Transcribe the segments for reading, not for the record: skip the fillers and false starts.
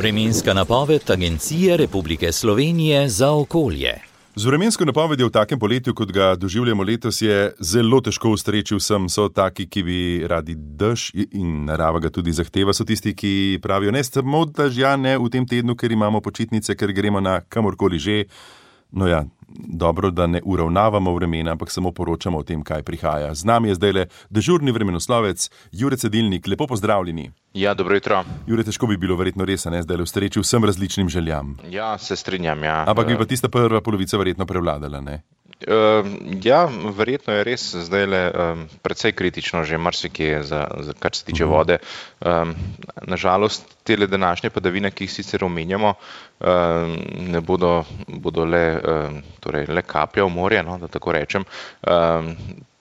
Vremenska napoved Agencije Republike Slovenije za okolje. Z vremensko napovedjo v takem poletju, kot ga doživljamo letos, je zelo težko ustreči vsem. So taki, ki bi radi dež in narava ga tudi zahteva. So tisti, ki pravijo, ne samo dežja, ne v tem tednu, ker imamo počitnice, ker gremo na kamorkoli že. No ja, dobro, da ne uravnavamo vremena, ampak samo poročamo o tem, kaj prihaja. Z nami je zdajle dežurni vremenoslovec Jure Cedilnik. Lepo pozdravljeni. Ja, dobro jutro. Jure, težko bi bilo verjetno res, ne, zdajle ustreči vsem različnim željam. Ja, se strinjam, ja. Ampak bi pa tista prva polovica verjetno prevladala, ne? Ja, verjetno je res zdajle precej kritično že marsikje, kar se tiče vode. Nažalost, tele današnje padavine, ki jih sicer omenjamo, ne bodo le kaplja v morje, no, da tako rečem.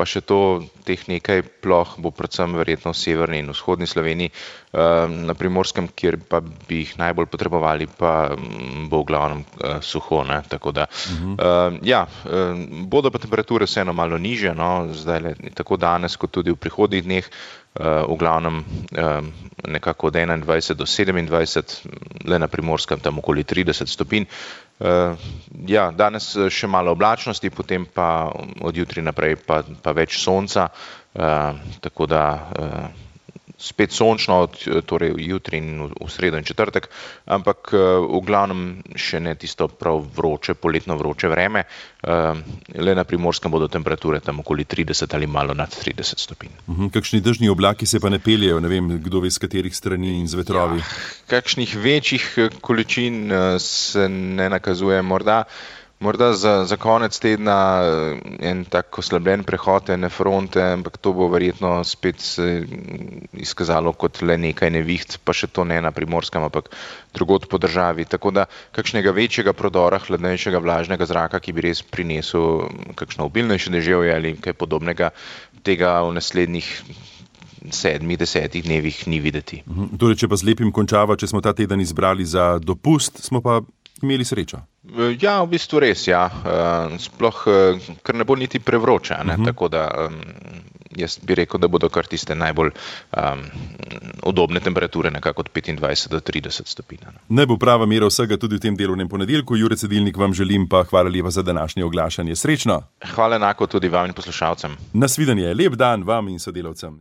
Pa še teh nekaj ploh bo predvsem verjetno v severni in vzhodni Sloveniji. Na Primorskem, kjer pa bi jih najbolj potrebovali, pa bo v glavnem suho, ne, tako da. Bodo pa temperature vseeno malo nižje, no, zdaj tako danes, kot tudi v prihodnjih dneh, v glavnem nekako od 21 do 27, le na Primorskem tam okoli 30 stopinj. Ja, danes še malo oblačnosti, potem pa od jutri naprej pa več sonca, tako da spet sončno, torej jutri in v sredo in četrtek, ampak v glavnem še ne tisto prav vroče, poletno vroče vreme. Le na Primorskem bodo temperature tam okoli 30 ali malo nad 30 stopinj. Kakšni dežni oblaki se pa ne peljejo, ne vem, kdo ve z katerih strani in z vetrovi? Ja, kakšnih večjih količin se ne nakazuje, Morda za konec tedna en tak oslabljen prehod ene fronte, ampak to bo verjetno spet izkazalo kot le nekaj neviht, pa še to ne na Primorskem, ampak drugod po državi. Tako da kakšnega večjega prodora hladnejšega vlažnega zraka, ki bi res prinesel kakšno obilnejše deževje ali kaj podobnega, tega v naslednjih 7-10 dnevih ni videti. Torej, če pa z lepim končava, če smo ta teden izbrali za dopust, smo pa imeli srečo. Ja, v bistvu res, ja. Sploh, ker ne bo niti prevroče, ne? Tako da jaz bi rekel, da bodo kar tiste najbolj udobne temperature, nekako od 25 do 30 stopinj. Ne bo prava mera vsega tudi v tem delovnem ponedeljku. Jure Cedilnik, vam želim pa hvala lepa za današnje oglašanje. Srečno! Hvala enako tudi vam in poslušalcem. Nasvidenje, lep dan vam in sodelavcem.